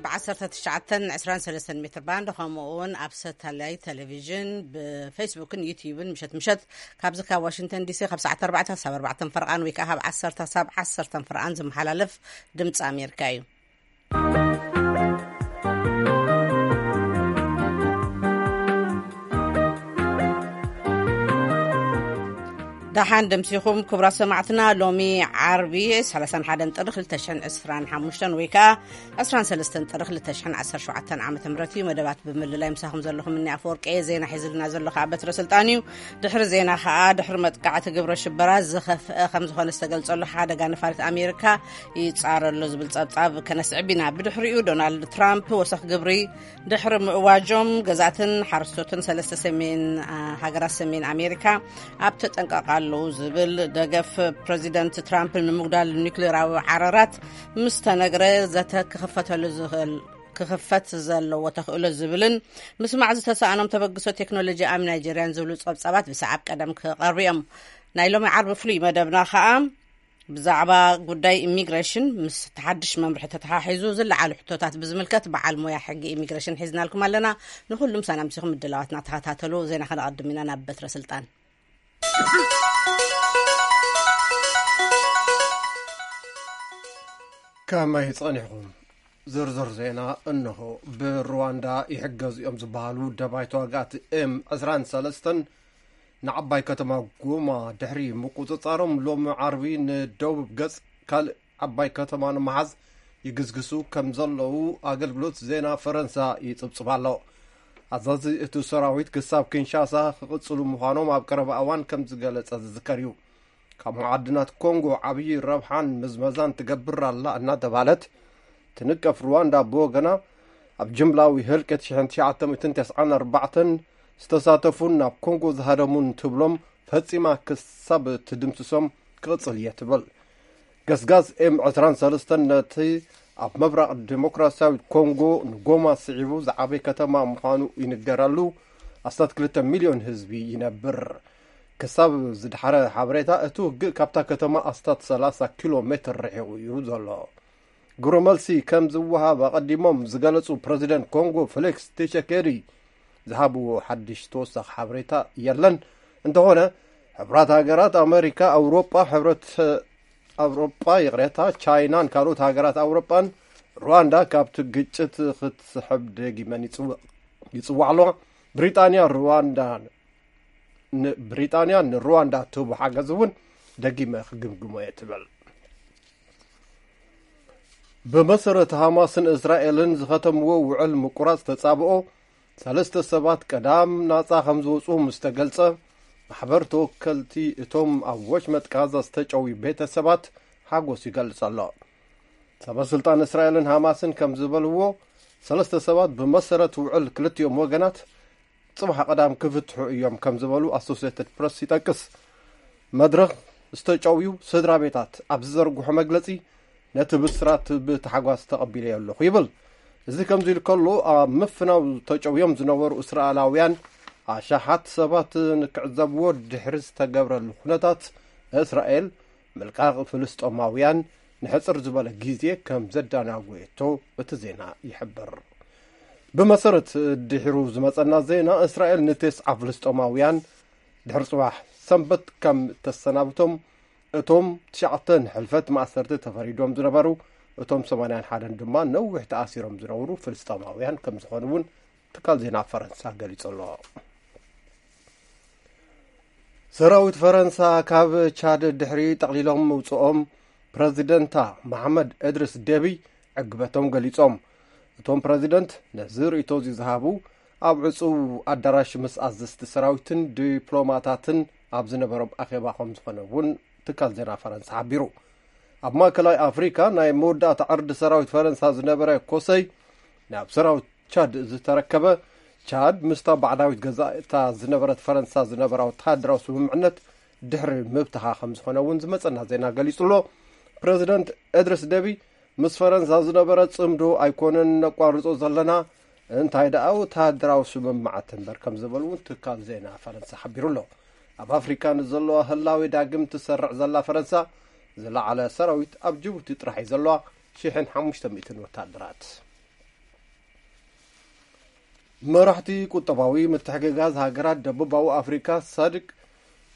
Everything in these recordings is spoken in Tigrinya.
ብ ዓሰርተ ትሽዓተን ዕስራን ሰለስተን ሜትር ባንድ፣ ከምኡ እውን ኣብ ሳተላይት ቴሌቪዥን፣ ብፌስቡክን ዩትዩብን ምሸት ምሸት ካብዚ ካብ ዋሽንግተን ዲሲ ካብ ሰዓት ኣርባዕተ ክሳብ ኣርባዕተ ፈርቓን ወይ ከዓ ካብ ዓሰርተ ክሳብ ዓሰርተ ፈርቓን ዝመሓላለፍ ድምፂ ኣሜሪካ እዩ። ደሓን ደምሲኹም ክቡራት ሰማዕትና። ሎሚ ዓርቢ ሰላሳን ሓደን ጥሪ ክልተ ሽሕን ዕስራን ሓሙሽተን ወይ ከዓ ዕስራን ሰለስተን ጥሪ ክልተ ሽሕን ዓሰርተ ሸውዓተን ዓመተ ምህረት እዩ። መደባት ብምልላይ ምሳኹም ዘለኹም እኒ ኣፈወርቂ እየ። ዜና ሒዝልና ዘሎ ከዓ በትረ ስልጣን እዩ። ድሕሪ ዜና ከዓ ድሕሪ መጥቃዕቲ ግብረ ሽበራ ዝኸፍአ ከም ዝኾነ ዝተገልጸሉ ሓደጋ ነፋሪት ኣሜሪካ ይጻረሎ ዝብል ጸብጻብ ከነስዕብ ኢና። ብድሕሪኡ ዶናልድ ትራምፕ ወሰኽ ግብሪ ድሕሪ ምእዋጆም ገዛእትን ሓረስቶትን ሰለስተ ሰሜን፣ አ፣ ሃገራት ሰሜን ኣሜሪካ ኣብ ተጠንቀቕ ኣለዉ ዝብል ደገፍ ፕረዚደንት ትራምፕ ንምጉዳል ኒውክሌራዊ ዓረራት ምስ ተነግረ ዘተ ክኽፈተሉ ዝኽእል፣ ክኽፈት ዘለዎ ተኽእሎ ዝብልን ምስማዕ ዝተሰኣኖም ተበግሶ ቴክኖሎጂ ኣብ ናይጀርያን ዝብሉ ጸብጻባት ብሰዓብ ቀደም ክቐርቡ እዮም። ናይ ሎሚ ዓርቢ ፍሉይ መደብና ኸኣ ብዛዕባ ጉዳይ ኢሚግሬሽን ምስ ተሓድሽ መምርሒ ተተሓሒዙ ዝለዓሉ ሕቶታት ብዝምልከት በዓል ሞያ ሕጊ ኢሚግሬሽን ሒዝናልኩም ኣለና። ንኹሉም ሳናምሲኹም ምድላዋትና ተኸታተሉ። ዜና ከነቐድም ኢና። ናብ በትረ ስልጣን። ከመይ ጸኒሕኩም? ዝርዝር ዜና እንሆ። ብሩዋንዳ ይሕገዙ እዮም ዝበሃሉ ደባይ ተዋጋእቲ ኤም ዕስራን ሰለስተን ንዓባይ ከተማ ጎማ ድሕሪ ምቁጽጻሮም፣ ሎሚ ዓርቢ ንደቡብ ገጽ ካልእ ዓባይ ከተማ ንምሓዝ ይግስግሱ ከም ዘለዉ ኣገልግሎት ዜና ፈረንሳ ይጽብጽብ ኣሎ። ኣዛዚ እቲ ሰራዊት ክሳብ ኪንሻሳ ክቕጽሉ ምዃኖም ኣብ ቀረባ እዋን ከም ዝገለጸ ዝዝከር እዩ። ካብ መዓድናት ኮንጎ ዓብዪ ረብሓን ምዝመዛን ትገብር ኣላ እናተባህለት ትንቀፍ ሩዋንዳ ብወገና፣ ኣብ ጅምላዊ ህልቂት ሽሕን ትሽዓተ ሚእትን ተስዓን ኣርባዕተን ዝተሳተፉን ናብ ኮንጎ ዝሃደሙን ትብሎም ፈጺማ ክሳብ ትድምስሶም ክቕጽል እየ ትብል። ገስጋስ ኤም ዕስራን ሰለስተን ነቲ ኣብ ምብራቕ ዲሞክራሲያዊት ኮንጎ ንጎማ ስዒቡ ዝዓበየ ከተማ ምዃኑ ይንገረሉ ኣስታት ክልተ ሚልዮን ህዝቢ ይነብር። ክሳብ ዝድሓረ ሓበሬታ፣ እቲ ውግእ ካብታ ከተማ ኣስታት ሰላሳ ኪሎ ሜትር ርሒቑ እዩ ዘሎ። ግብረ መልሲ ከም ዝወሃብ ኣቐዲሞም ዝገለጹ ፕረዚደንት ኮንጎ ፌሊክስ ቲሸኬዲ ዝሃብዎ ሓድሽ ተወሳኺ ሓበሬታ የለን። እንተኾነ፣ ሕብራት ሃገራት ኣመሪካ፣ ኣውሮጳ፣ ሕብረት ኣውሮጳ፣ ይቕሬታ፣ ቻይናን ካልኦት ሃገራት ኣውሮጳን ሩዋንዳ ካብቲ ግጭት ክትስሕብ ደጊመን ይጽው-፣ ይጽውዓ ኣለዋ። ብሪጣንያ ሩዋንዳ ን-፣ ብሪጣንያ ንሩዋንዳ ትህቦ ሓገዝ እውን ደጊመ ክግምግሞ እየ ትብል። ብመሰረት ሃማስን እስራኤልን ዝኸተምዎ ውዕል ምቁራጽ ተጻብኦ፣ ሰለስተ ሰባት ቀዳም ናጻ ከም ዝወጹ ምስ ተገልጸ፣ ማሕበር ተወከልቲ እቶም ኣብ ወሽመጥ ጋዛ ዝተጨውዩ ቤተሰባት ሓጎስ ይገልጽ ኣሎ። ሰበ ስልጣን እስራኤልን ሃማስን ከም ዝበልዎ፣ ሰለስተ ሰባት ብመሰረት ውዕል ክልቲኦም ወገናት ጽባሕ ቀዳም ክፍትሑ እዮም ከም ዝበሉ ኣሶሲየትድ ፕረስ ይጠቅስ። መድረኽ ዝተጨውዩ ስድራ ቤታት ኣብ ዝዘርግሖ መግለጺ፣ ነቲ ብስራት ብታሕጓስ ተቐቢለዮ ኣለኹ ይብል። እዚ ከምዚ ኢሉ ከሎ፣ ኣብ ምፍናው ተጨውዮም ዝነበሩ እስራኤላውያን ኣሽሓት ሰባት ንክዕዘብዎ ድሕሪ ዝተገብረሉ ኩነታት፣ እስራኤል ምልቃቕ ፍልስጦማውያን ንሕጽር ዝበለ ግዜ ከም ዘዳናጎየቶ እቲ ዜና ይሕብር። ብመሰረት ድሒሩ ዝመጸና ዜና፣ እስራኤል ንቴስዓ ፍልስጦማውያን ድሕሪ ጽባሕ ሰንበት ከም እተሰናብቶም፣ እቶም ትሽዓተ ንሕልፈት ማእሰርቲ ተፈሪዶም ዝነበሩ፣ እቶም ሰማንያን ሓደን ድማ ነዊሕ ተኣሲሮም ዝነበሩ ፍልስጦማውያን ከም ዝኾኑ እውን ትካል ዜና ፈረንሳ ገሊጹ ኣሎ። ሰራዊት ፈረንሳ ካብ ቻድ ድሕሪ ጠቕሊሎም ምውጽኦም፣ ፕረዚደንታ መሓመድ እድሪስ ደቢ ዕግበቶም ገሊጾም። እቶም ፕረዚደንት ነዚ ርእይቶ እዚ ዝሃቡ ኣብ ዕጹው ኣዳራሽ ምስ ኣዘዝቲ ሰራዊትን ዲፕሎማታትን ኣብ ዝነበሮም ኣኼባ ከም ዝኾነ እውን ትካል ዜና ፈረንሳ ሓቢሩ። ኣብ ማእከላይ ኣፍሪካ ናይ መወዳእታ ዕርዲ ሰራዊት ፈረንሳ ዝነበረ ኮሰይ ናብ ሰራዊት ቻድ ዝተረከበ፣ ቻድ ምስታ ባዕዳዊት ገዛእታ ዝነበረት ፈረንሳ ዝነበራ ወተሃደራዊ ስምምዕነት ድሕሪ ምብትኻ ከም ዝኾነ እውን ዝመጸና ዜና ገሊጹ ኣሎ። ፕረዚደንት እድሪስ ደቢ፣ ምስ ፈረንሳ ዝነበረ ጽምዶ ኣይኮነን ነቋርጾ ዘለና፣ እንታይ ደኣ ወተሃደራዊ ስምምዓት እምበር ከም ዝበሉ እውን ትካል ዜና ፈረንሳ ሓቢሩ ኣሎ። ኣብ ኣፍሪካ ንዘለዋ ህላዌ ዳግም ትሰርዕ ዘላ ፈረንሳ፣ ዝለዓለ ሰራዊት ኣብ ጅቡቲ ጥራሕ እዩ ዘለዋ፣ ሽሕን ሓሙሽተ ሚእትን ወተሃደራት። መራሕቲ ቁጠባዊ ምትሕግጋዝ ሃገራት ደቡባዊ ኣፍሪካ ሳድቅ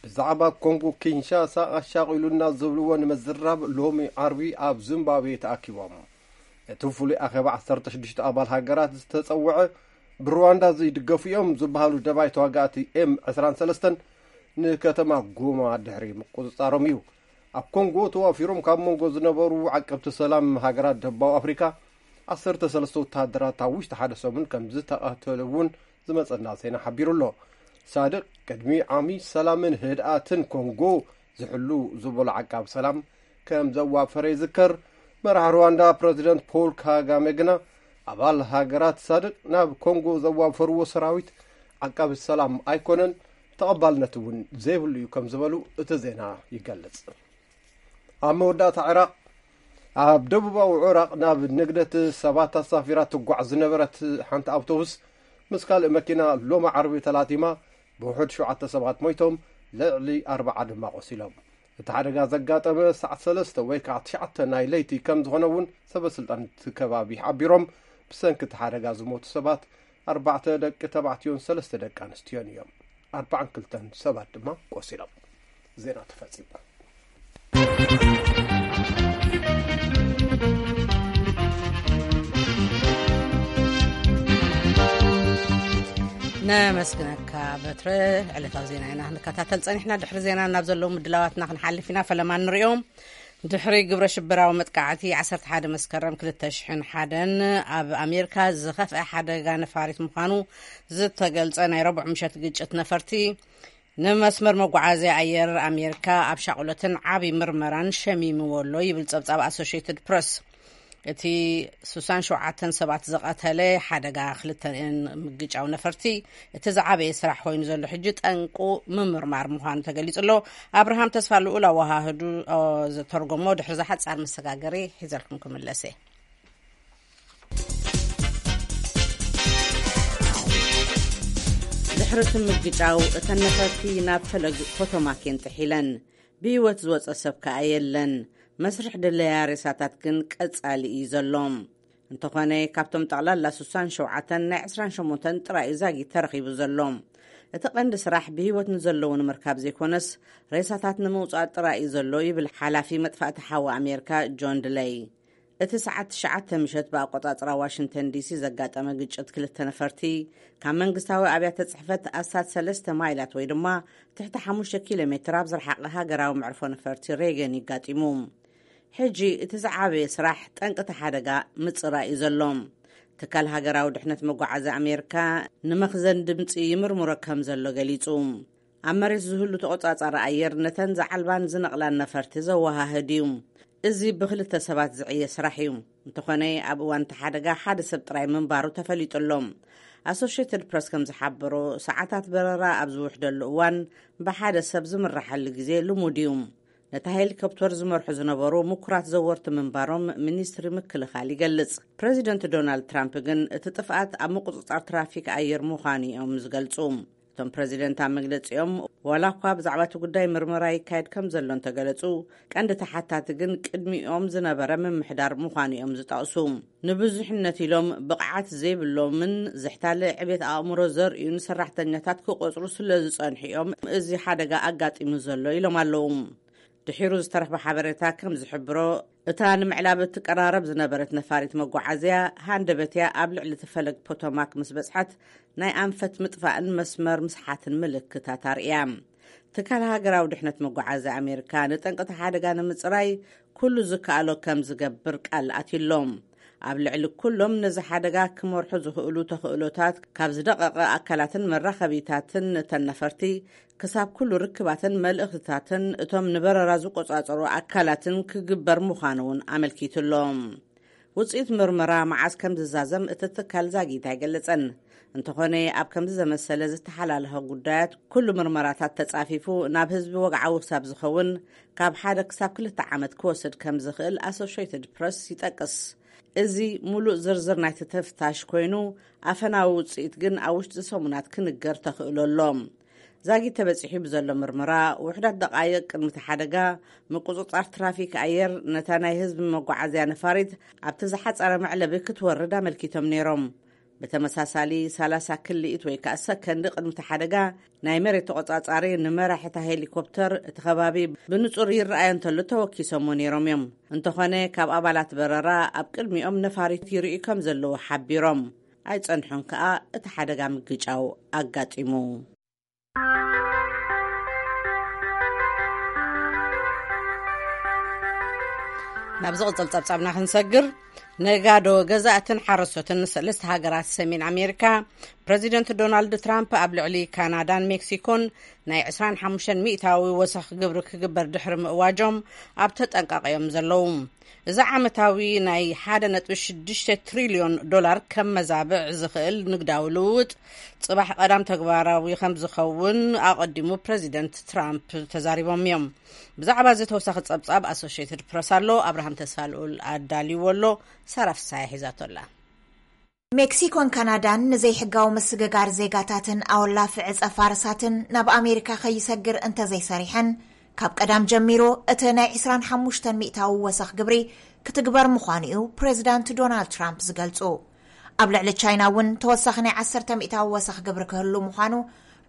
ብዛዕባ ኮንጎ ኪንሻሳ ኣሻቒሉና ዝብልዎ ንምዝራብ ሎሚ ዓርቢ ኣብ ዚምባብዌ ተኣኪቦም። እቲ ፍሉይ ኣኼባ ዓሰርተ ሽዱሽተ ኣባል ሃገራት ዝተጸውዐ፣ ብሩዋንዳ ዝድገፉ እዮም ዝበሃሉ ደባይ ተዋጋእቲ ኤም ዕስራን ሰለስተን ንከተማ ጎማ ድሕሪ ምቁጽጻሮም እዩ። ኣብ ኮንጎ ተዋፊሮም ካብ መንጎ ዝነበሩ ዓቀብቲ ሰላም ሃገራት ደቡባዊ ኣፍሪካ ዓሰርተ ሰለስተ ወተሃደራት ኣብ ውሽጢ ሓደ ሰሙን ከም ዝተቐተሉ እውን ዝመጸና ዜና ሓቢሩ ኣሎ። ሳድቅ ቅድሚ ዓሚ ሰላምን ህድኣትን ኮንጎ ዝሕሉ ዝበሎ ዓቃብ ሰላም ከም ዘዋፈረ ይዝከር። መራሕ ሩዋንዳ ፕረዚደንት ፖል ካጋሜ ግና ኣባል ሃገራት ሳድቅ ናብ ኮንጎ ዘዋፈርዎ ሰራዊት ዓቃቢ ሰላም ኣይኮነን፣ ተቐባልነት እውን ዘይብሉ እዩ ከም ዝበሉ እቲ ዜና ይገልጽ። ኣብ መወዳእታ፣ ዕራቕ፣ ኣብ ደቡባዊ ዕራቕ ናብ ንግደት ሰባት ኣሳፊራ ትጓዕ ዝነበረት ሓንቲ ኣውቶቡስ ምስ ካልእ መኪና ሎሚ ዓርቢ ተላቲማ፣ ብውሑድ ሸውዓተ ሰባት ሞይቶም፣ ልዕሊ ኣርባዓ ድማ ቆሲሎም። እቲ ሓደጋ ዘጋጠመ ሰዓት ሰለስተ ወይ ከዓ ትሽዓተ ናይ ለይቲ ከም ዝኾነ እውን ሰበስልጣን እቲ ከባቢ ሓቢሮም። ብሰንኪ እቲ ሓደጋ ዝሞቱ ሰባት ኣርባዕተ ደቂ ተባዕትዮን ሰለስተ ደቂ ኣንስትዮን እዮም። ኣርባዓን ክልተን ሰባት ድማ ቆሲሎም። ዜና ተፈጺሙ። ነመስግነካ በትረ። ዕለታዊ ዜና ኢና ክንከታተል ጸኒሕና። ድሕሪ ዜና ናብ ዘለዉ ምድላዋትና ክንሓልፍ ኢና። ፈለማ ንሪኦም። ድሕሪ ግብረ ሽበራዊ መጥቃዕቲ ዓሰርተ ሓደ መስከረም ክልተ ሽሕን ሓደን ኣብ ኣሜሪካ ዝኸፍአ ሓደጋ ነፋሪት ምዃኑ ዝተገልጸ ናይ ረቡዕ ምሸት ግጭት ነፈርቲ፣ ንመስመር መጓዓዝያ ኣየር ኣሜሪካ ኣብ ሻቕሎትን ዓቢ ምርመራን ሸሚምዎ ኣሎ ይብል ጸብጻብ ኣሶሽየትድ ፕረስ። እቲ ስሳን ሸውዓተን ሰባት ዝቐተለ ሓደጋ ክልተን ምግጫው ነፈርቲ፣ እቲ ዝዓበየ ስራሕ ኮይኑ ዘሎ ሕጂ ጠንቁ ምምርማር ምዃኑ ተገሊጹ ኣሎ። ኣብርሃም ተስፋ ልኡል ኣወሃህዱ፣ ኦ፣ ዝተርጎሞ ድሕሪ ዝሓጻር መሰጋገሪ ሒዘልኩም ክምለስ እየ። ድሕሪ እቲ ምግጫው፣ እተን ነፈርቲ ናብ ፈለግ ፖቶማክ የንጥሒለን። ብህይወት ዝወጸ ሰብ ከኣ የለን። መስርሕ ድለያ ሬሳታት ግን ቀጻሊ እዩ ዘሎ። እንተኾነ፣ ካብቶም ጠቕላላ ስሳን ሸውዓተን፣ ናይ ዕስራን ሸሞንተን ጥራይ እዩ ዛጊት ተረኺቡ ዘሎ። እቲ ቀንዲ ስራሕ ብህይወት ንዘለዉ ንምርካብ ዘይኮነስ፣ ሬሳታት ንምውጻእ ጥራይ እዩ ዘሎ ይብል ሓላፊ መጥፋእቲ ሓዊ ኣሜሪካ ጆን ድለይ። እቲ ሰዓት ትሽዓተ ምሸት ብኣቆጻጽራ ዋሽንግተን ዲሲ ዘጋጠመ ግጭት ክልተ ነፈርቲ፣ ካብ መንግስታዊ ኣብያተ ጽሕፈት ኣስታት ሰለስተ ማይላት ወይ ድማ ትሕቲ ሓሙሽተ ኪሎ ሜትር ኣብ ዝረሓቐ ሃገራዊ መዕርፎ ነፈርቲ ሬገን ይጋጢሙ። ሕጂ እቲ ዝዓበየ ስራሕ ጠንቂ እቲ ሓደጋ ምጽራይ እዩ ዘሎ። ትካል ሃገራዊ ድሕነት መጓዓዝያ ኣሜሪካ ንመኽዘን ድምጺ ይምርምሮ ከም ዘሎ ገሊጹ። ኣብ መሬት ዝህሉ ተቖጻጻሪ ኣየር ነተን ዝዓልባን ዝነቕላን ነፈርቲ ዘወሃህድ እዩ። እዚ ብክልተ ሰባት ዝዕየ ስራሕ እዩ። እንተኾነ፣ ኣብ እዋን እቲ ሓደጋ ሓደ ሰብ ጥራይ ምንባሩ ተፈሊጡ ኣሎ። ኣሶሽየትድ ፕረስ ከም ዝሓበሮ፣ ሰዓታት በረራ ኣብ ዝውሕደሉ እዋን ብሓደ ሰብ ዝምረሓሉ ግዜ ልሙድ እዩ። ነታ ሄሊኮፕተር ዝመርሑ ዝነበሩ ምኩራት ዘወርቲ ምንባሮም ሚኒስትሪ ምክልኻል ይገልጽ። ፕረዚደንት ዶናልድ ትራምፕ ግን እቲ ጥፍኣት ኣብ ምቁጽጻር ትራፊክ ኣየር ምዃኑ እዮም ዝገልጹ። እቶም ፕረዚደንት ኣብ መግለጺኦም፣ ዋላ እኳ ብዛዕባ እቲ ጉዳይ ምርመራ ይካየድ ከም ዘሎ እንተገለጹ፣ ቀንዲ ተሓታቲ ግን ቅድሚኦም ዝነበረ ምምሕዳር ምዃኑ እዮም ዝጠቕሱ። ንብዙሕነት ኢሎም ብቕዓት ዘይብሎምን ዝሕታለ ዕቤት ኣእምሮ ዘርእዩን ሰራሕተኛታት ክቆጽሩ ስለ ዝጸንሑ እዮም እዚ ሓደጋ ኣጋጢሙ ዘሎ ኢሎም ኣለዉ። ድሒሩ ዝተረኽበ ሓበሬታ ከም ዝሕብሮ፣ እታ ንምዕላብ እትቀራረብ ዝነበረት ነፋሪት መጓዓዝያ ሃንደበትያ ኣብ ልዕሊ እቲ ፈለግ ፖቶማክ ምስ በጽሐት፣ ናይ ኣንፈት ምጥፋእን መስመር ምስሓትን ምልክታት ኣርእያ። ትካል ሃገራዊ ድሕነት መጓዓዝያ ኣሜሪካ ንጠንቅቲ ሓደጋ ንምጽራይ ኩሉ ዝከኣሎ ከም ዝገብር ቃል ኣትዩሎም። ኣብ ልዕሊ ኩሎም ነዚ ሓደጋ ክመርሑ ዝኽእሉ ተኽእሎታት፣ ካብ ዝደቐቐ ኣካላትን መራኸቢታትን እተን ነፈርቲ ክሳብ ኩሉ ርክባትን መልእኽትታትን እቶም ንበረራ ዝቆጻጸሩ ኣካላትን ክግበር ምዃኑ እውን ኣመልኪቱ ኣሎ። ውጽኢት ምርመራ መዓስ ከም ዝዛዘም እቲ ትካል ዛጊት ኣይገለጸን። እንተኾነ፣ ኣብ ከምዚ ዘመሰለ ዝተሓላለኸ ጉዳያት ኩሉ ምርመራታት ተጻፊፉ ናብ ህዝቢ ወግዓዊ ክሳብ ዝኸውን ካብ ሓደ ክሳብ ክልተ ዓመት ክወስድ ከም ዝኽእል ኣሶሽየትድ ፕረስ ይጠቅስ። እዚ ሙሉእ ዝርዝር ናይቲ ተፍታሽ ኮይኑ፣ ኣፈናዊ ውጽኢት ግን ኣብ ውሽጢ ሰሙናት ክንገር ተኽእሎ ኣሎ። ዛጊት ተበጺሑ ብዘሎ ምርመራ፣ ውሑዳት ደቓይቕ ቅድሚ እቲ ሓደጋ፣ ምቁጽጻር ትራፊክ ኣየር ነታ ናይ ህዝቢ መጓዓዝያ ነፋሪት ኣብቲ ዝሓጸረ መዕለቢ ክትወርድ ኣመልኪቶም ነይሮም። ብተመሳሳሊ፣ ሰላሳ ክልኢት ወይ ከኣ ሰከንድ ቅድሚ እቲ ሓደጋ፣ ናይ መሬት ተቖጻጻሪ ንመራሒ እታ ሄሊኮፕተር እቲ ከባቢ ብንጹር ይረኣዮ እንተሎ ተወኪሶሞ ነይሮም እዮም። እንተኾነ፣ ካብ ኣባላት በረራ ኣብ ቅድሚኦም ነፋሪት ይርእዩ ከም ዘለዉ ሓቢሮም። ኣይጸንሑን ከኣ እቲ ሓደጋ ምግጫው ኣጋጢሙ። ናብ ዝቕጽል ጸብጻብና ክንሰግር፣ ነጋዶ፣ ገዛእትን ሓረስቶትን ሰለስተ ሃገራት ሰሜን ኣሜሪካ፣ ፕረዚደንት ዶናልድ ትራምፕ ኣብ ልዕሊ ካናዳን ሜክሲኮን ናይ ዕስራን ሓሙሽተን ሚእታዊ ወሰኽ ግብሪ ክግበር ድሕሪ ምእዋጆም ኣብ ተጠንቃቒ እዮም ዘለዉ። እዚ ዓመታዊ ናይ ሓደ ነጥቢ ሽዱሽተ ትሪልዮን ዶላር ከም መዛብዕ ዝኽእል ንግዳዊ ልውውጥ፣ ጽባሕ ቀዳም ተግባራዊ ከም ዝኸውን ኣቐዲሙ ፕረዚደንት ትራምፕ ተዛሪቦም እዮም። ብዛዕባ እዚ ተወሳኺ ጸብጻብ ኣሶሽየትድ ፕረስ ኣሎ። ኣብርሃም ተስፋልኡል ኣዳልይዎ ኣሎ። ሳራ ፍሳሐ ሒዛቶ ኣላ። ሜክሲኮን ካናዳን ንዘይሕጋዊ ምስግጋር ዜጋታትን ኣወላፊ ዕጸ ፋርሳትን ናብ ኣሜሪካ ከይሰግር እንተዘይሰሪሐን፣ ካብ ቀዳም ጀሚሩ እቲ ናይ ዕስራን ሓሙሽተን ሚእታዊ ወሰኽ ግብሪ ክትግበር ምዃኑ እዩ ፕሬዚዳንት ዶናልድ ትራምፕ ዝገልጹ። ኣብ ልዕሊ ቻይና እውን ተወሳኺ ናይ ዓሰርተ ሚእታዊ ወሰኽ ግብሪ ክህሉ ምዃኑ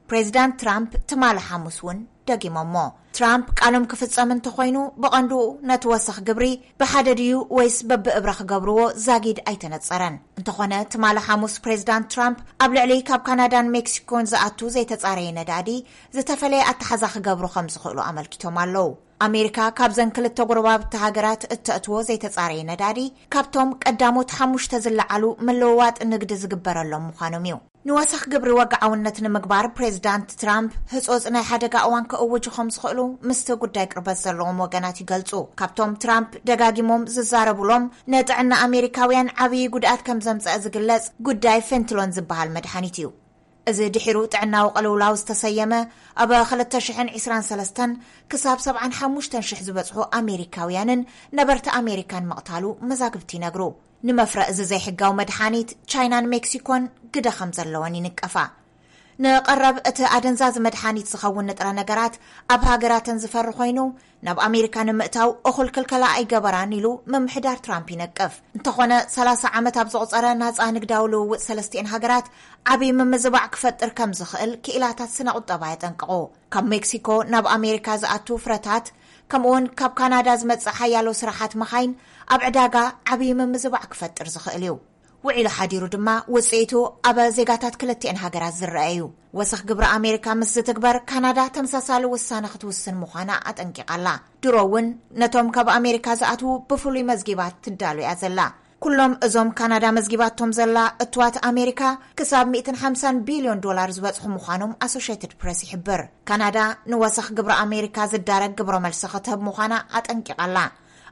ፕሬዚዳንት ትራምፕ ትማሊ ሓሙስ እውን ደጊሞሞ። ትራምፕ ቃሎም ክፍጸም እንተኾይኑ፣ ብቐንዱ ነቲ ወሰኽ ግብሪ ብሓደ ድዩ ወይስ በብእብረ ክገብርዎ ዛጊድ ኣይተነጸረን። እንተኾነ፣ ትማሊ ሓሙስ ፕሬዚዳንት ትራምፕ ኣብ ልዕሊ ካብ ካናዳን ሜክሲኮን ዝኣቱ ዘይተጻረየ ነዳዲ ዝተፈለየ ኣተሓዛ ክገብሩ ከም ዝኽእሉ ኣመልኪቶም ኣለዉ። ኣሜሪካ ካብዘን ክልተ ጎረባብቲ ሃገራት እተእትዎ ዘይተጻረየ ነዳዲ ካብቶም ቀዳሞት ሓሙሽተ ዝለዓሉ ምልውዋጥ ንግዲ ዝግበረሎም ምዃኖም እዩ። ንወሰኽ ግብሪ ወግዓውነት ንምግባር ፕሬዚዳንት ትራምፕ ህጾጽ ናይ ሓደጋ እዋን ክእውጁ ከም ዝኽእሉ ምስቲ ጉዳይ ቅርበት ዘለዎም ወገናት ይገልጹ። ካብቶም ትራምፕ ደጋጊሞም ዝዛረቡሎም ንጥዕና ኣሜሪካውያን ዓብዪ ጉድኣት ከም ዘምጸአ ዝግለጽ ጉዳይ ፌንትሎን ዝበሃል መድሓኒት እዩ። እዚ ድሒሩ ጥዕናዊ ቅልውላው ዝተሰየመ፣ ኣብ ክልተ ሽሕን ዕስራን ሰለስተን ክሳብ ሰብዓን ሓሙሽተን ሽሕ ዝበጽሑ ኣሜሪካውያንን ነበርቲ ኣሜሪካን ምቕታሉ መዛግብቲ ይነግሩ። ንመፍረ እዚ ዘይሕጋዊ መድሓኒት ቻይናን ሜክሲኮን ግደ ከም ዘለወን ይንቀፋ። ንቐረብ እቲ ኣደንዛዚ መድሓኒት ዝኸውን ንጥረ ነገራት ኣብ ሃገራተን ዝፈሪ ኮይኑ፣ ናብ ኣሜሪካ ንምእታው እኹል ክልከላ ኣይገበራን ኢሉ ምምሕዳር ትራምፕ ይነቅፍ። እንተኾነ፣ ሰላሳ ዓመት ኣብ ዘቑጸረ ናጻ ንግዳዊ ልውውጥ ሰለስቲኤን ሃገራት ዓብዪ ምምዝባዕ ክፈጥር ከም ዝኽእል ክኢላታት ስነ ቁጠባ የጠንቅቑ። ካብ ሜክሲኮ ናብ ኣሜሪካ ዝኣቱ ፍረታት፣ ከምኡውን ካብ ካናዳ ዝመጽእ ሓያሎ ስራሓት መኻይን ኣብ ዕዳጋ ዓብዪ ምምዝባዕ ክፈጥር ዝኽእል እዩ። ውዒሉ ሓዲሩ ድማ ውጽኢቱ ኣብ ዜጋታት ክልቲኤን ሃገራት ዝረአ እዩ። ወሰኽ ግብሪ ኣሜሪካ ምስ ዝትግበር፣ ካናዳ ተመሳሳሊ ውሳነ ክትውስን ምዃና ኣጠንቂቓ ኣላ። ድሮ እውን ነቶም ካብ ኣሜሪካ ዝኣትዉ ብፍሉይ መዝጊባት ትዳሎ እያ ዘላ። ኩሎም እዞም ካናዳ መዝጊባቶም ዘላ እትዋት ኣሜሪካ ክሳብ ሚእትን ሓምሳን ቢልዮን ዶላር ዝበጽሑ ምዃኖም ኣሶሼትድ ፕረስ ይሕብር። ካናዳ ንወሰኽ ግብሪ ኣሜሪካ ዝዳረግ ግብረ መልሲ ክትህብ ምዃና ኣጠንቂቓ ኣላ።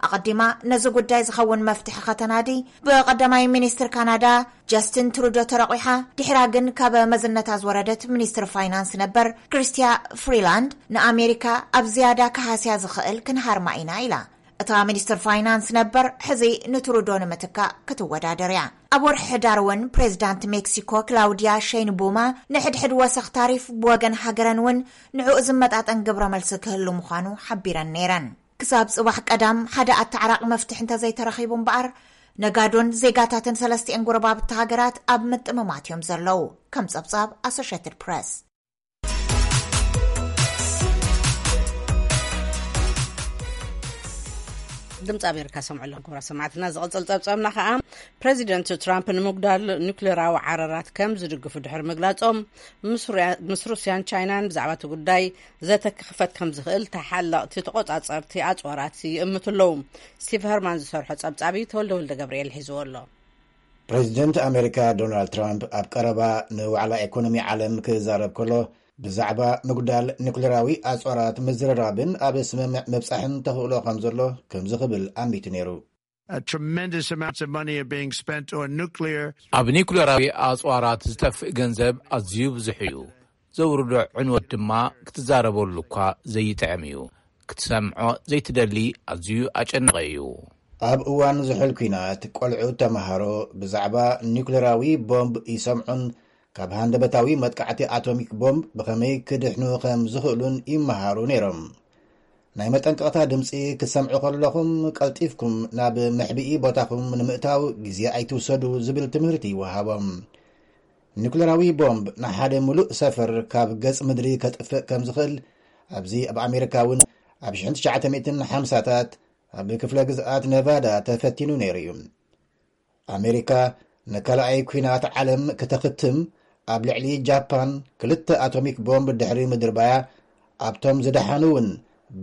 ኣቐዲማ ነዚ ጉዳይ ዝኸውን መፍትሒ ከተናዲ ብቐዳማይ ሚኒስትር ካናዳ ጀስቲን ትሩዶ ተረቑሓ። ድሕራ ግን ካብ መዝነታ ዝወረደት ሚኒስትር ፋይናንስ ነበር ክርስቲያ ፍሪላንድ ንኣሜሪካ ኣብ ዝያዳ ክሃስያ ዝኽእል ክንሃርማ ኢና ኢላ። እታ ሚኒስትር ፋይናንስ ነበር ሕዚ ንትሩዶ ንምትካእ ክትወዳደር እያ። ኣብ ወርሒ ሕዳር እውን ፕሬዚዳንት ሜክሲኮ ክላውዲያ ሼይንቡማ ንሕድሕድ ወሰኽ ታሪፍ ብወገን ሃገረን እውን ንዕኡ ዝመጣጠን ግብረ መልሲ ክህሉ ምዃኑ ሓቢረን ነይረን። ክሳብ ጽባሕ ቀዳም ሓደ ኣተዓራቂ መፍትሒ እንተዘይተረኺቡ እምበኣር፣ ነጋዶን ዜጋታትን ሰለስቲኤን ጎረባብቲ ሃገራት ኣብ ምጥምማት እዮም ዘለዉ፣ ከም ጸብጻብ ኣሶሼትድ ፕረስ። ድምፂ ኣሜሪካ ሰምዑ ኣለኹም ክቡራት ሰማዕትና። ዝቐፅል ጸብጻብና ከኣ፣ ፕሬዚደንት ትራምፕ ንምጉዳል ኒውክሌራዊ ዓረራት ከም ዝድግፉ ድሕሪ ምግላጾም፣ ምስ ሩያ-፣ ምስ ሩስያን ቻይናን ብዛዕባ እቲ ጉዳይ ዘተ ክኽፈት ከም ዝኽእል ተሓለቕቲ ተቖጻጸርቲ ኣጽዋራት ይእምቱ ኣለዉ። ስቲቭ ሀርማን ዝሰርሖ ጸብጻቢ ተወልደ ወልደ ገብርኤል ሒዝዎ ኣሎ። ፕሬዚደንት ኣሜሪካ ዶናልድ ትራምፕ ኣብ ቀረባ ንዋዕላ ኢኮኖሚ ዓለም ክዛረብ ከሎ፣ ብዛዕባ ምጉዳል ኒኩሌራዊ ኣጽዋራት ምዝርራብን ኣብ ስምምዕ ምብጻሕን ተኽእሎ ከም ዘሎ ከምዚ ክብል ኣሚቱ ነይሩ። A tremendous amounts of money are being spent on nuclear. ኣብ ኒኩሌራዊ ኣጽዋራት ዝጠፍእ ገንዘብ ኣዝዩ ብዙሕ እዩ። ዘውርዶ ዕንወት ድማ ክትዛረበሉ እኳ ዘይጥዕም እዩ። ክትሰምዖ ዘይትደሊ ኣዝዩ ኣጨናቒ እዩ። ኣብ እዋን ዝሑል ኲናት፣ ቆልዑ ተመሃሮ ብዛዕባ ኒኩሌራዊ ቦምብ ይሰምዑን ካብ ሃንደበታዊ መጥቃዕቲ ኣቶሚክ ቦምብ ብኸመይ ክድሕኑ ከም ዝኽእሉን ይመሃሩ ነይሮም። ናይ መጠንቀቕታ ድምጺ ክትሰምዑ ከለኹም፣ ቀልጢፍኩም ናብ መሕብኢ ቦታኹም ንምእታው ግዜ ኣይትውሰዱ ዝብል ትምህርቲ ይወሃቦም። ኒኩለራዊ ቦምብ ንሓደ ምሉእ ሰፈር ካብ ገጽ ምድሪ ከጥፍእ ከም ዝኽእል፣ ኣብዚ ኣብ ኣሜሪካ እውን ኣብ ሽሕን ትሽዓተ ሚእትን ሓምሳታት ኣብ ክፍለ ግዝኣት ነቫዳ ተፈቲኑ ነይሩ እዩ። ኣሜሪካ ንካልኣይ ኲናት ዓለም ክተኽትም ኣብ ልዕሊ ጃፓን ክልተ ኣቶሚክ ቦምብ ድሕሪ ምድርባያ፣ ኣብቶም ዝደሓኑ እውን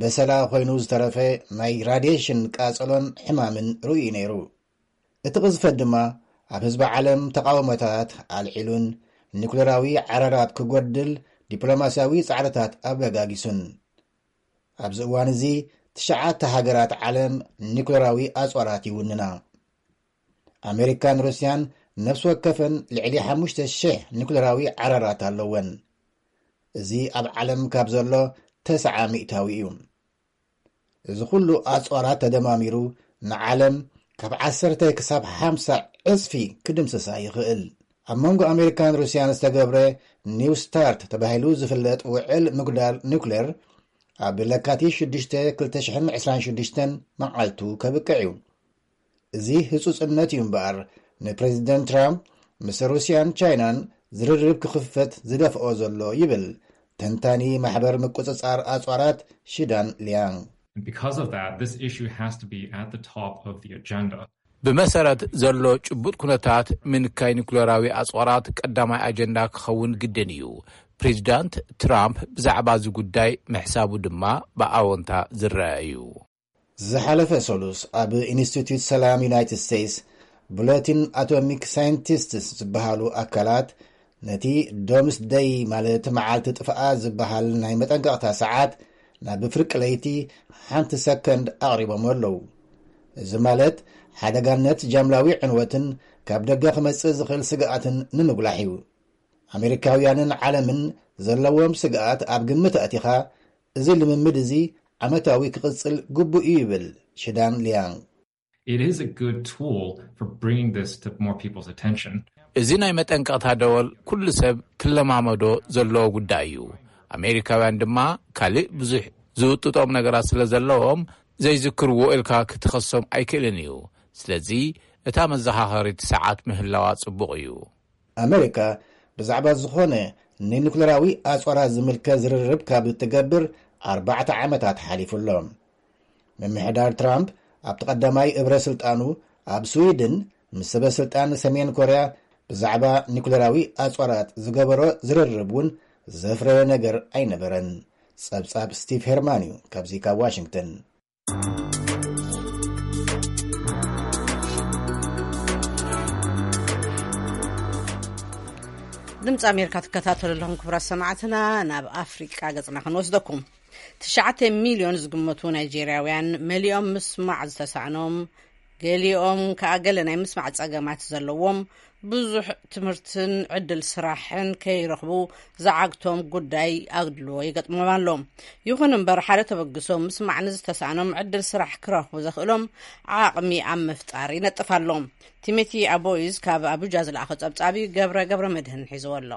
በሰላ ኮይኑ ዝተረፈ ናይ ራድየሽን ቃጸሎን ሕማምን ርእዩ ነይሩ። እቲ ቅዝፈት ድማ ኣብ ህዝቢ ዓለም ተቓውሞታት ኣልዒሉን ኒኩሌራዊ ዓራራት ክጎድል ዲፕሎማስያዊ ጻዕርታት ኣበጋጊሱን። ኣብዚ እዋን እዚ ትሽዓተ ሃገራት ዓለም ኒኩሌራዊ ኣጽዋራት ይውንና። ኣሜሪካን ሩስያን ነፍሲ ወከፈን ልዕሊ ሓሙሽተ ሽሕ ኒኩሌራዊ ዓራራት ኣለወን። እዚ ኣብ ዓለም ካብ ዘሎ ተስዓ ሚእታዊ እዩ። እዚ ኩሉ ኣጽዋራት ተደማሚሩ ንዓለም ካብ ዓሰርተ ክሳብ ሓምሳ ዕጽፊ ክድምስሳ ይኽእል። ኣብ መንጎ ኣሜሪካን ሩስያን ዝተገብረ ኒው ስታርት ተባሂሉ ዝፍለጥ ውዕል ምጉዳል ኒውክሌር ኣብ ለካቲት ሽዱሽተ ክልተ ሽሕን ዕስራን ሽዱሽተን መዓልቱ ከብቅዕ እዩ። እዚ ህጹጽነት እዩ እምበኣር፣ ንፕሬዚደንት ትራምፕ ምስ ሩስያን ቻይናን ዝርርብ ክኽፈት ዝደፍኦ ዘሎ ይብል ተንታኒ ማሕበር ምቁጽጻር ኣጽዋራት ሽዳን ሊያንግ። And because of that, this issue has to be at the top of the agenda. ብመሰረት ዘሎ ጭቡጥ ኩነታት ምንካይ ኒኩሌራዊ ኣጽዋራት ቀዳማይ ኣጀንዳ ክኸውን ግድን እዩ። ፕሬዚዳንት ትራምፕ ብዛዕባ እዚ ጉዳይ ምሕሳቡ ድማ ብኣወንታ ዝረአ እዩ። ዝሓለፈ ሰሉስ ኣብ ኢንስቲትዩት ሰላም ዩናይትድ ስቴትስ ብሎቲን ኣቶሚክ ሳይንቲስትስ ዝበሃሉ ኣካላት ነቲ ዶምስ ደይ ማለት መዓልቲ ጥፍኣ ዝበሃል ናይ መጠንቀቕታ ሰዓት ናብ ፍርቂ ለይቲ ሓንቲ ሰከንድ ኣቕሪቦም ኣለዉ። እዚ ማለት ሓደጋነት ጃምላዊ ዕንወትን ካብ ደገ ክመጽእ ዝኽእል ስግኣትን ንምጉላሕ እዩ። ኣሜሪካውያንን ዓለምን ዘለዎም ስግኣት ኣብ ግምት ኣእቲኻ፣ እዚ ልምምድ እዚ ዓመታዊ ክቕጽል ግቡእ እዩ ይብል ሽዳን ሊያንግ። It is a good tool for bringing this to more people's attention. እዚ ናይ መጠንቀቕታ ደወል ኩሉ ሰብ ክለማመዶ ዘለዎ ጉዳይ እዩ። ኣሜሪካውያን ድማ ካልእ ብዙሕ ዝውጥጦም ነገራት ስለ ዘለዎም ዘይዝክርዎ ኢልካ ክትኸሶም ኣይክእልን እዩ። ስለዚ እታ መዘኻኸሪት ሰዓት ምህላዋ ጽቡቕ እዩ። ኣሜሪካ ብዛዕባ ዝኾነ ንኒኩሌራዊ ኣጽዋራት ዝምልከት ዝርርብ ካብ እትገብር ኣርባዕተ ዓመታት ሓሊፉ ኣሎ። ምምሕዳር ትራምፕ ኣብቲ ቀዳማይ እብረ ስልጣኑ ኣብ ስዊድን ምስ ሰበ ስልጣን ሰሜን ኮርያ ብዛዕባ ኒኩሌራዊ ኣጽዋራት ዝገበሮ ዝርርብ እውን ዘፍረየ ነገር ኣይነበረን። ጸብጻብ ስቲቭ ሄርማን እዩ ካብዚ ካብ ዋሽንግተን። ድምፂ ኣሜሪካ ትከታተሉ ኣለኹም ክቡራት ሰማዕትና። ናብ ኣፍሪቃ ገፅና ክንወስደኩም። ትሽዓተ ሚልዮን ዝግመቱ ናይጄርያውያን መሊኦም ምስማዕ ዝተሳዕኖም፣ ገሊኦም ከዓ ገለ ናይ ምስማዕ ፀገማት ዘለዎም፣ ብዙሕ ትምህርትን ዕድል ስራሕን ከይረኽቡ ዝዓግቶም ጉዳይ ኣድልዎ ይገጥሞም ኣሎ። ይኹን እምበር ሓደ ተበግሶ ምስማዕ ንዝተሳእኖም ዕድል ስራሕ ክረኽቡ ዘኽእሎም ዓቕሚ ኣብ ምፍጣር ይነጥፍ ኣሎ። ቲሞቲ ኣቦይዝ ካብ ኣቡጃ ዝለኣኸ ጸብጻብ እዩ። ገብረ ገብረ መድህን ሒዝዎ ኣሎ።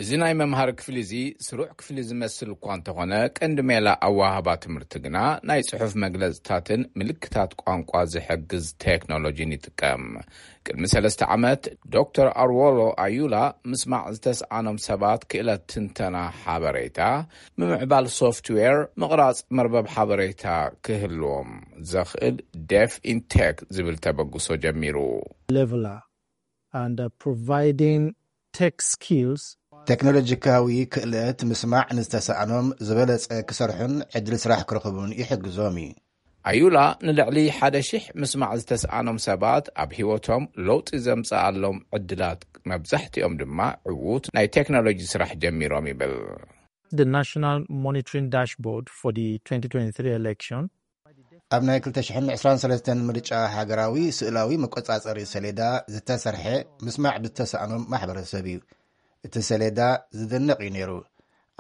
እዚ ናይ መምሃሪ ክፍሊ እዚ ስሩዕ ክፍሊ ዝመስል እኳ እንተኾነ፣ ቀንዲ ሜላ ኣወሃህባ ትምህርቲ ግና ናይ ጽሑፍ መግለጽታትን ምልክታት ቋንቋ ዝሕግዝ ቴክኖሎጂን ይጥቀም። ቅድሚ ሰለስተ ዓመት ዶክተር ኣርዎሎ ኣዩላ ምስማዕ ዝተስኣኖም ሰባት ክእለት ትንተና ሓበሬታ፣ ምምዕባል ሶፍትዌር፣ ምቕራጽ መርበብ ሓበሬታ ክህልዎም ዘኽእል ዴፍ ኢንቴክ ዝብል ተበግሶ ጀሚሩ። Leveler and uh, providing tech skills. ቴክኖሎጂካዊ ክእለት ምስማዕ ንዝተሳእኖም ዝበለጸ ክሰርሑን ዕድል ስራሕ ክረኽቡን ይሕግዞም እዩ። ኣዩላ ንልዕሊ ሓደ ሺሕ ምስማዕ ዝተስኣኖም ሰባት ኣብ ህይወቶም ለውጢ ዘምጽኣሎም ዕድላት፣ መብዛሕትኦም ድማ ዕዉት ናይ ቴክኖሎጂ ስራሕ ጀሚሮም ይብል። The National Monitoring Dashboard for the twenty twenty-three election. ኣብ ናይ ክልተ ሽሕን ዕስራን ሰለስተን ምርጫ ሃገራዊ ስእላዊ መቆጻጸሪ ሰሌዳ ዝተሰርሐ ምስማዕ ብዝተሳእኖም ማሕበረሰብ እዩ። እቲ ሰሌዳ ዝድነቕ እዩ ነይሩ።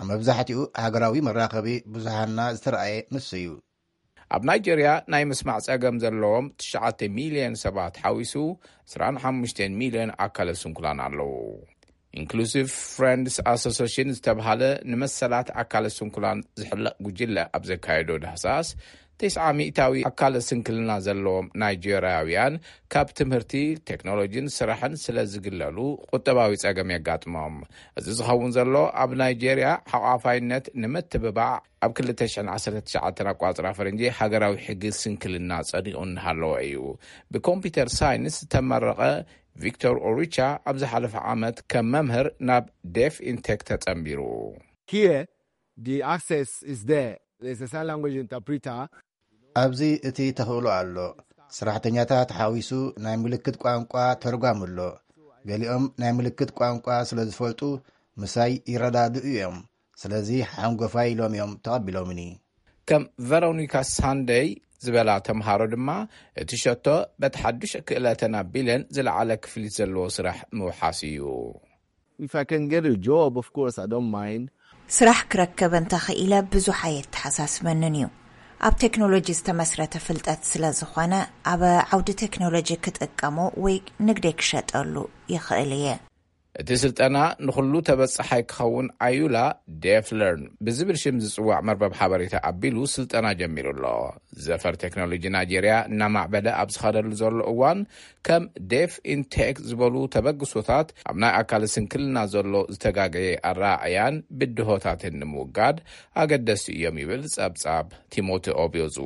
ኣብ መብዛሕትኡ ሃገራዊ መራኸቢ ብዙሃንና ዝተረኣየ ንሱ እዩ። ኣብ ናይጄርያ ናይ ምስማዕ ጸገም ዘለዎም ትሽዓተ ሚልዮን ሰባት ሓዊሱ ዕስራን ሓሙሽተን ሚልዮን ኣካለ ስንኩላን ኣለዉ። ኢንክሉሲቭ ፍሬንድስ ኣሶሲሽን ዝተብሃለ ንመሰላት ኣካለ ስንኩላን ዝሕለቕ ጉጅለ ኣብ ዘካየዶ ዳህሳስ፣ ትስዓ ሚእታዊ ኣካለ ስንክልና ዘለዎም ናይጀርያውያን ካብ ትምህርቲ፣ ቴክኖሎጂን ስራሕን ስለ ዝግለሉ ቁጠባዊ ጸገም የጋጥሞም። እዚ ዝኸውን ዘሎ ኣብ ናይጀርያ ሓቋፋይነት ንምትብባዕ ኣብ ክልተ ሽሕን ዓሰርተ ትሽዓተን ኣቋጽራ ፈረንጂ ሃገራዊ ሕጊ ስንክልና ጸዲቑ እናሃለወ እዩ። ብኮምፒውተር ሳይንስ ዝተመረቐ ቪክቶር ኦሪቻ ኣብ ዝሓለፈ ዓመት ከም መምህር ናብ ዴፍ ኢንቴክ ተጸንቢሩ። Here, the access is there. There's a sign language interpreter. ኣብዚ እቲ ተኽእሎ ኣሎ። ሰራሕተኛታት ሓዊሱ ናይ ምልክት ቋንቋ ተርጓም ኣሎ። ገሊኦም ናይ ምልክት ቋንቋ ስለ ዝፈልጡ ምሳይ ይረዳድኡ እዮም። ስለዚ ሓንጎፋይ ኢሎም እዮም ተቐቢሎምኒ። ከም ቨሮኒካ ሳንደይ ዝበላ ተምሃሮ ድማ እቲ ሸቶ በቲ ሓዱሽ ክእለተን ኣቢለን ዝለዓለ ክፍሊት ዘለዎ ስራሕ ምውሓስ እዩ። If I can get a job, of course, I don't mind. ስራሕ ክረከብ እንተኽኢለ ብዙሕ ኣየተሓሳስበንን እዩ። ኣብ ቴክኖሎጂ ዝተመስረተ ፍልጠት ስለ ዝኾነ ኣብ ዓውዲ ቴክኖሎጂ ክጥቀሞ ወይ ንግደይ ክሸጠሉ ይኽእል እየ። እቲ ስልጠና ንኹሉ ተበጻሓይ ክኸውን ኣዩላ ዴፍ ለርን ብዝብል ሽም ዝጽዋዕ መርበብ ሓበሬታ ኣቢሉ ስልጠና ጀሚሩ ኣሎ። ዘፈር ቴክኖሎጂ ናይጄርያ እናማዕበለ ኣብ ዝኸደሉ ዘሎ እዋን ከም ዴፍ ኢንቴክ ዝበሉ ተበግሶታት ኣብ ናይ ኣካል ስንክልና ዘሎ ዝተጋገየ ኣረኣእያን ብድሆታትን ንምውጋድ ኣገደስቲ እዮም ይብል ጸብጻብ ቲሞቲ ኦብዮዙ።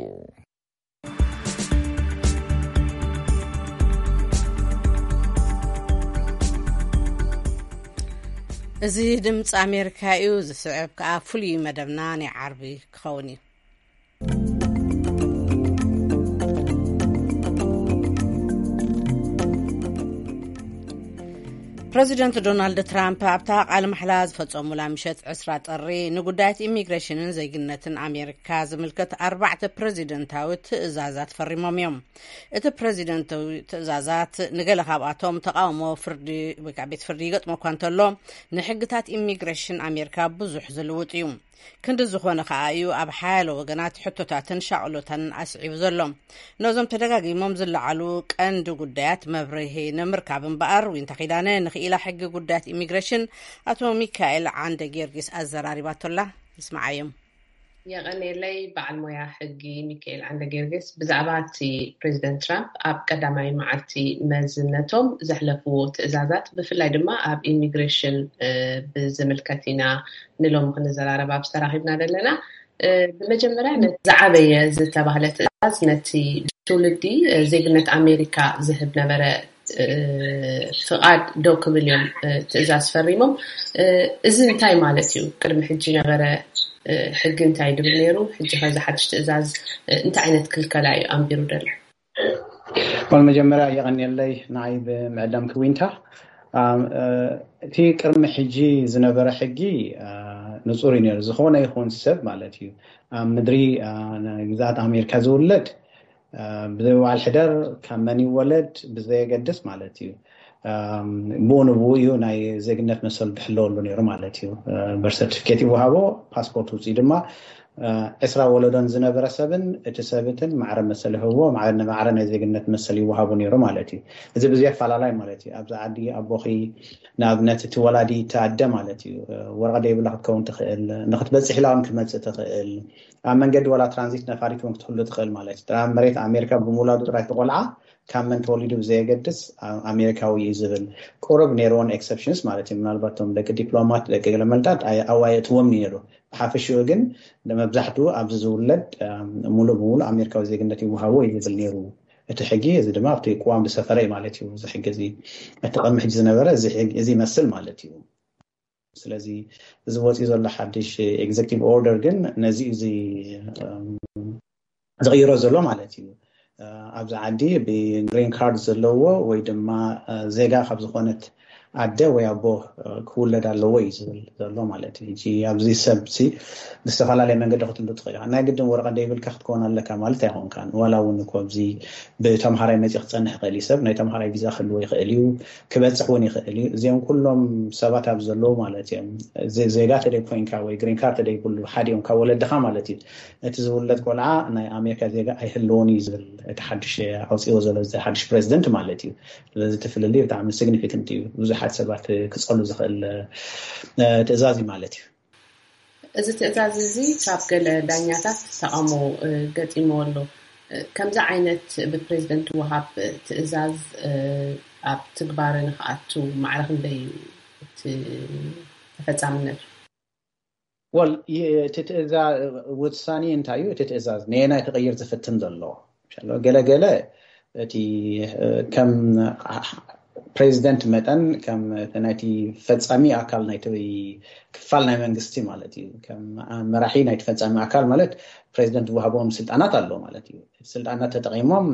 እዚ ድምፂ ኣሜሪካ እዩ። ዝስዕብ ከዓ ፍሉይ መደብና ናይ ዓርቢ ክኸውን እዩ። ፕረዚደንት ዶናልድ ትራምፕ ኣብታ ቃለ ማሕላ ዝፈጸሙላ ምሸት ዕስራ ጥሪ ንጉዳያት ኢሚግሬሽንን ዜግነትን ኣሜሪካ ዝምልከት ኣርባዕተ ፕረዚደንታዊ ትእዛዛት ፈሪሞም እዮም። እቲ ፕረዚደንታዊ ትእዛዛት ንገለ ካብኣቶም ተቃውሞ ፍርዲ ወይ ከዓ ቤት ፍርዲ ይገጥሞ እኳ እንተሎ፣ ንሕግታት ኢሚግሬሽን ኣሜሪካ ብዙሕ ዝልውጥ እዩ። ክንዲ ዝኾነ ከኣ እዩ ኣብ ሓያሎ ወገናት ሕቶታትን ሻቕሎታን ኣስዒቡ ዘሎ። ነዞም ተደጋጊሞም ዝለዓሉ ቀንዲ ጉዳያት መብርሂ ንምርካብ እምበኣር፣ ዊንታ ኪዳነ ንኽኢላ ሕጊ ጉዳያት ኢሚግሬሽን ኣቶ ሚካኤል ዓንደ ጊዮርጊስ ኣዘራሪባቶላ። ንስምዓዮም። የቐንየለይ። በዓል ሞያ ሕጊ ሚካኤል ዓንደ ጊዮርጊስ፣ ብዛዕባ እቲ ፕሬዚደንት ትራምፕ ኣብ ቀዳማይ መዓልቲ መዝነቶም ዘሕለፍዎ ትእዛዛት፣ ብፍላይ ድማ ኣብ ኢሚግሬሽን ብዝምልከት ኢና ንሎም ክንዘራረብ ኣብዚ ተራኺብና ዘለና። ብመጀመርያ፣ ነቲ ዝዓበየ ዝተባህለ ትእዛዝ፣ ነቲ ትውልዲ ዜግነት ኣሜሪካ ዝህብ ነበረ ፍቓድ ደው ክብል እዮም ትእዛዝ ፈሪሞም። እዚ እንታይ ማለት እዩ? ቅድሚ ሕጂ ነበረ ሕጊ እንታይ ድብል ነይሩ? ሕጂ ከዚ ሓድሽ ትእዛዝ እንታይ ዓይነት ክልከላ እዩ ኣንቢሩ ደሎ? ል መጀመርያ የቐንየለይ ንዓይ ብምዕዳም ክዊንታ። እቲ ቅድሚ ሕጂ ዝነበረ ሕጊ ንፁር እዩ ነይሩ። ዝኾነ ይኹን ሰብ ማለት እዩ ኣብ ምድሪ ግዛኣት ኣሜሪካ ዝውለድ ብዘይ በዓል ሕደር ካብ መን ይወለድ ብዘየገድስ ማለት እዩ፣ ብኡ ንብኡ እዩ ናይ ዜግነት መሰሉ ድሕለወሉ ነይሩ ማለት እዩ። በርሰርቲፊኬት ይወሃቦ፣ ፓስፖርት ውፅኢ ድማ ዕስራ ወለዶን ዝነበረ ሰብን እቲ ሰብትን ማዕረ መሰል ይህብዎ፣ ማዕረ ናይ ዜግነት መሰል ይወሃቡ ነይሩ ማለት እዩ። እዚ ብዘይ ኣፈላላይ ማለት እዩ። ኣብዚ ዓዲ ኣቦኺ ንኣብነት እቲ ወላዲ እቲ ኣደ ማለት እዩ፣ ወረቐ ደይብላ ክትከውን ትኽእል፣ ንክትበፅሕ ኢላ እውን ክትመፅእ ትኽእል፣ ኣብ መንገዲ ዋላ ትራንዚት ነፋሪት እውን ክትህሉ ትኽእል ማለት እዩ። ጥራይ መሬት ኣሜሪካ ብምውላዱ ጥራይ እቲ ቆልዓ ካብ መን ተወሊዱ ብዘየገድስ ኣሜሪካዊ እዩ ዝብል ቁሩብ ነይርዎን ኤክሰፕሽንስ ማለት እዩ። ምናልባት እቶም ደቂ ዲፕሎማት ደቂ ገለመልታት ኣዋየትዎም ነይሩ። ብሓፈሽኡ ግን መብዛሕትኡ ኣብዚ ዝውለድ ሙሉእ ብሙሉእ ኣሜሪካዊ ዜግነት ይወሃቦ እዩ ዝብል ነይሩ እቲ ሕጊ። እዚ ድማ ኣብቲ ቅዋም ዝሰፈረ እዩ ማለት እዩ። እዚ ሕጊ እዚ እቲ ቅድሚ ሕጂ ዝነበረ እዚ ይመስል ማለት እዩ። ስለዚ እዚ ወፂኡ ዘሎ ሓድሽ ኤግዜክቲቭ ኦርደር ግን ነዚ እዚ ዝቕይሮ ዘሎ ማለት እዩ። ኣብዚ ዓዲ ብግሪን ካርድ ዘለዎ ወይ ድማ ዜጋ ካብ ዝኾነት ኣደ ወይ ኣቦ ክውለድ ኣለዎ እዩ ዝብል ዘሎ ማለት እዩ። ሕጂ ኣብዚ ሰብ ሲ ብዝተፈላለየ መንገዲ ክትህሉ ትኽእል ኢኻ። ናይ ግድን ወረቐት ደይብልካ ክትከውን ኣለካ ማለት ኣይኮንካን። ዋላ እውን እኮ ኣብዚ ብተምሃራይ መፂ ክፀንሕ ይኽእል እዩ። ሰብ ናይ ተምሃራይ ቪዛ ክህልዎ ይኽእል እዩ፣ ክበፅሕ እውን ይኽእል እዩ። እዚኦም ኩሎም ሰባት ኣብ ዘለዉ ማለት እዮም። ዜጋ ተደይ ኮይንካ ወይ ግሪን ካርድ ተደይ ኩሉ ሓደ እዮም ካብ ወለድኻ ማለት እዩ። እቲ ዝውለድ ቆልዓ ናይ ኣሜሪካ ዜጋ ኣይህልዎን እዩ ዝብል እቲ ሓድሽ ኣውፅዎ ዘሎ እዚ ሓድሽ ፕሬዚደንት ማለት እዩ። ስለዚ እቲ ፍልልይ ብጣዕሚ ሲግኒፊካንት እዩ። ብዙሓት ሰባት ክፀሉ ዝኽእል ትእዛዝ እዩ ማለት እዩ። እዚ ትእዛዝ እዚ ካብ ገለ ዳኛታት ተቓውሞ ገጢምዎ ኣሎ። ከምዚ ዓይነት ብፕሬዚደንት ወሃብ ትእዛዝ ኣብ ትግባረ ንክኣቱ ማዕረ ክንደይ እዩ እቲ ተፈጻምነቱ? ወል እቲ ትእዛዝ ውሳኔ እንታይ እዩ? እቲ ትእዛዝ ነየናይ ክቕይር ዝፍትን ዘሎ ገለገለ እቲ ከም ፕሬዚደንት መጠን ከም ናይቲ ፈጻሚ ኣካል ናይቲ ክፋል ናይ መንግስቲ ማለት እዩ። ከም መራሒ ናይቲ ፈጻሚ ኣካል ማለት ፕሬዚደንት ዝወሃቦም ስልጣናት ኣሎ ማለት እዩ። ስልጣናት ተጠቒሞም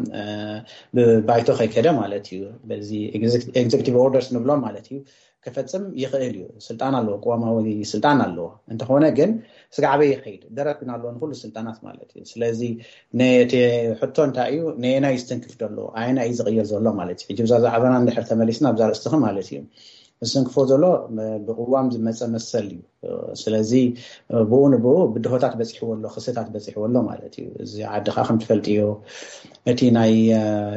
ብባይቶ ከይከደ ማለት እዩ። በዚ ኤግዜክቲቭ ኦርደርስ ንብሎም ማለት እዩ። ክፈጽም ይኽእል እዩ። ስልጣን ኣለዎ፣ ቅዋማዊ ስልጣን ኣለዎ። እንተኾነ ግን ስጋዕበ ይኸይድ ደረት ግን ኣለዎ ንኩሉ ስልጣናት ማለት እዩ። ስለዚ ነቲ ሕቶ እንታይ እዩ? ነየናይ ዝትንክፍ ዘሎ ኣየናይ እዩ ዝቕየር ዘሎ ማለት እዩ። ሕጂ ብዛ ዛዕባና እንድሕር ተመሊስና ኣብዛ ርእስትኺ ማለት እዩ። ዝትንክፎ ዘሎ ብቅዋም ዝመፀ መሰል እዩ። ስለዚ ብኡ ንብኡ ብድሆታት በፂሕዎ ኣሎ፣ ክስታት በፂሕዎ ኣሎ ማለት እዩ። እዚ ዓዲ ከዓ ከም ትፈልጥዮ እቲ ናይ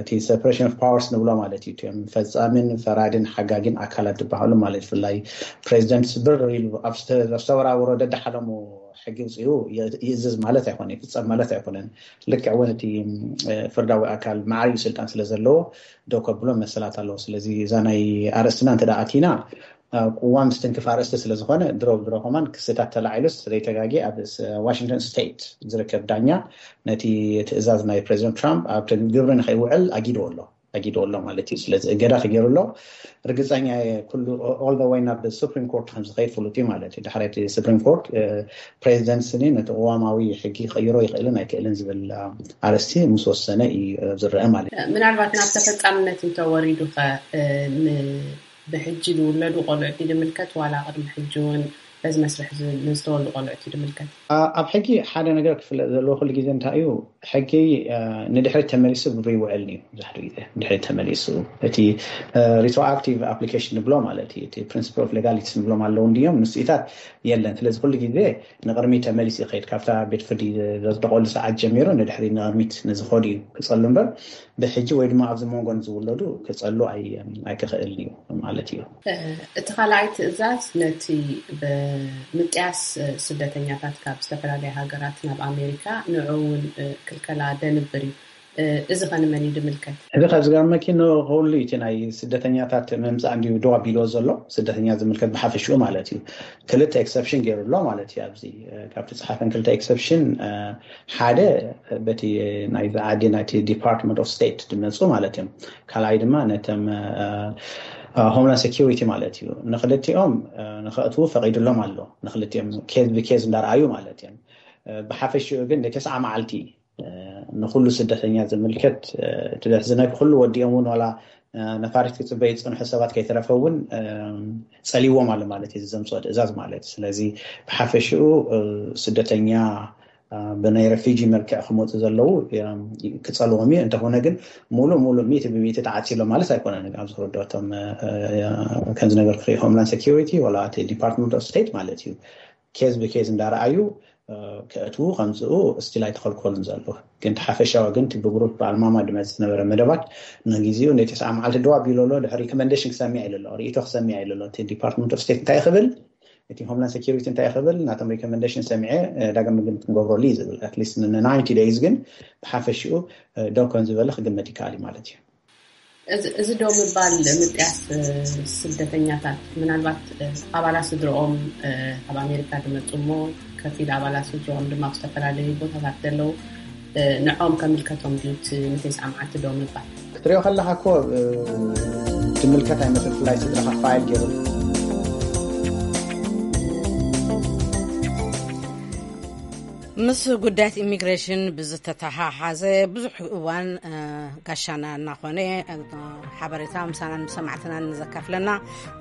እቲ separation of powers ንብሎ ማለት እዩ። እቲኦም ፈፃምን ፈራድን ሓጋጊን ኣካላት ዝበሃሉ ማለት ብፍላይ ፕሬዚደንት ስብር ኢሉ ኣብ ዝተወራወሮ ደዳሓለሙ ሕጊ ውፅኡ ይእዝዝ ማለት ኣይኮነ፣ ይፍፀም ማለት ኣይኮነን። ልክዕ እውን እቲ ፍርዳዊ ኣካል ማዕሪኡ ስልጣን ስለ ዘለዎ ደው ከብሎ መሰላት ኣለዎ። ስለዚ እዛ ናይ ኣርእስትና እንተ ኣቲና ቅዋም ዝትንክፍ ኣርእስቲ ስለ ዝኾነ ድሮ ብድሮ ከማን ክስታት ተላዒሉስ ዘይተጋጌ ኣብ ዋሽንግተን ስቴት ዝርከብ ዳኛ ነቲ ትእዛዝ ናይ ፕሬዚደንት ትራምፕ ኣብ ግብሪ ንኸይውዕል ኣጊድዎ ኣሎ ኣጊድዎ ኣሎ ማለት እዩ። ስለዚ እገዳ ተገይሩ ኣሎ። ርግፀኛ ኩሉ all the way ናብ ሱፕሪም ኮርት ከም ዝኸይድ ፍሉጥ እዩ ማለት እዩ። ድሕሪ እቲ ሱፕሪም ኮርት ፕሬዚደንት ስኒ ነቲ ቅዋማዊ ሕጊ ክቕይሮ ይኽእልን ኣይክእልን ዝብል ኣርእስቲ ምስ ወሰነ እዩ ዝረአ ማለት እዩ። ምናልባት ናብ ተፈጻምነት እንተወሪዱ ኸ ብሕጂ ዝውለዱ ቆልዑት ድምልከት ዋላ ቅድሚ ሕጂ እውን በዚ መስርሕ ዝተወልዱ ቆልዑት ድምልከት? ኣብ ሕጊ ሓደ ነገር ክፍለጥ ዘለዎ ኩሉ ግዜ እንታይ እዩ? ሕጊ ንድሕሪት ተመሊሱ ብብይውዕል እዩ። ብዙሕ ግዜ ንድሕሪት ተመሊሱ እቲ retroactive application ንብሎ ማለት እዩ። እቲ principle of legalities ንብሎም ኣለዉ እንዲዮም ምስኢታት የለን። ስለዚ ኩሉ ግዜ ንቕድሚት ተመሊሱ ይኸይድ። ካብታ ቤት ፍርዲ ዘጽደቐሉ ሰዓት ጀሚሩ ንድሕሪት ንቕድሚት ንዝኸዱ እዩ ክጸሉ እምበር ብሕጂ ወይ ድማ ኣብዚ መንጎ ንዝውለዱ ክጸሉ ኣይክኽእልን እዩ ማለት እዩ። እቲ ካልኣይ ትእዛዝ ነቲ ብምጥያስ ስደተኛታት ካብ ዝተፈላለያ ሃገራት ናብ ኣሜሪካ ንዑ እውን ክልከላ ደንብር እዩ። እዚ ኸ ንመን እዩ ድምልከት? እዚ ካብ ዝገርመኪ ንኹሉ እቲ ናይ ስደተኛታት ምምፃእ እንዲዩ ደው ኣቢልዎ ዘሎ፣ ስደተኛ ዝምልከት ብሓፈሽኡ ማለት እዩ። ክልተ exception ገይሩ ኣሎ ማለት እዩ። ኣብዚ ካብቲ ፀሓፈን ክልተ exception ሓደ በቲ ናይ ዓዲ ናይቲ Department of State ዝመፁ ማለት እዮም። ካልኣይ ድማ ነቶም Homeland Security ማለት እዩ። ንክልቲኦም ንኸእትዉ ፈቒዱሎም ኣሎ። ንክልቲኦም case ብ case እንዳረኣዩ ማለት እዮም። ብሓፈሽኡ ግን ንተስዓ መዓልቲ ንኩሉ ስደተኛ ዝምልከት እቲ ዘሕዝነኪ ኩሉ ወዲኦም እውን ዋላ ነፋሪት ክፅበዩ ዝፅንሑ ሰባት ከይተረፈ እውን ፀሊዎም ኣሎ ማለት እዩ። ዘምፅኦ ትእዛዝ ማለት ስለዚ ብሓፈሽኡ ስደተኛ ብናይ refugee መልክዕ ክመፁ ዘለዉ ክፀልዎም እዩ። እንተኾነ ግን ሙሉእ ሙሉእ ሚእቲ ብሚእቲ ተዓፂሎም ማለት ኣይኮነን። ኣብዚ ክርደቶም ከም ዝነገርኩ Homeland Security ዋላ እቲ Department of State ማለት እዩ case ብ case እንዳረኣዩ ከእትዉ ከምፅኡ still ኣይተኸልከሉን ዘለዉ። ግን እቲ ሓፈሻዊ ግን እቲ ብግሩፕ ብኣልማማ ዝመፅእ ዝነበረ መደባት ንግዚኡ ነቲ ተስዓ መዓልቲ ደው ኣቢሉ ኣሎ። ድሕሪ recommendation ክሰምዕ ኢሉ ኣሎ፣ ርእይቶ ክሰምዕ ኢሉ ኣሎ። እቲ Department of State እንታይ ክብል፣ እቲ Homeland Security እንታይ ክብል፣ ናቶም recommendation ሰሚዐ ዳግም ግምት ክንገብረሉ እዩ ዝብል። At least ን ninety days ግን ብሓፈሽኡ ደው ከም ዝበለ ክግመት ይከኣል እዩ ማለት እዩ። እዚ ዶ ምባል ምጥያስ ስደተኛታት ምናልባት ኣባላት ስድርኦም ካብ ኣሜሪካ ዝመፁ እሞ ከፊል ኣባላት ስድርኦም ድማ ኣብ ዝተፈላለዩ ቦታታት ዘለዉ ንዖም ከምልከቶም ድዩ እቲ ንተስዓ መዓልቲ ዶ ምባል? ክትሪኦ ከለካ እኮ ዝምልከት ኣይመስል፣ ብፍላይ ስድራካ ፋይል ገይሩ ምስ ጉዳያት ኢሚግሬሽን ብዝተተሓሓዘ ብዙሕ እዋን ጋሻና እናኾነ ሓበሬታ ምሳናን ብሰማዕትናን ንዘካፍለና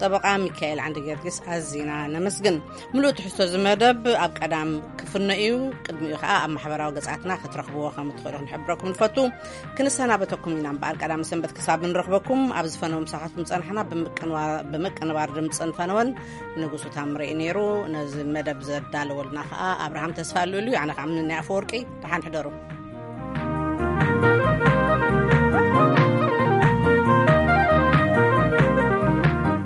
ጠበቃ ሚካኤል ዓንደ ጊዮርጊስ ኣዚና ነመስግን። ምሉእ ትሕዝቶ እዚ መደብ ኣብ ቀዳም ክፍኖ እዩ። ቅድሚኡ ከዓ ኣብ ማሕበራዊ ገጻትና ክትረኽብዎ ከም እትኽእሉ ክንሕብረኩም ንፈቱ። ክንሰናበተኩም ኢና እምበኣር ቀዳም ሰንበት ክሳብ ንረኽበኩም ኣብ ዝፈነው ምሳኻትኩም ጸናሕና። ብምቅንባር ድምፅን ፈነወን ንጉሱ ታምረ እዩ ነይሩ። ነዚ መደብ ዘዳለወልና ከዓ ኣብርሃም ተስፋ ልኡል እዩ። ኣነ ከዓ ምንናይ ኣፈወርቂ። ደሓን ሕደሩ።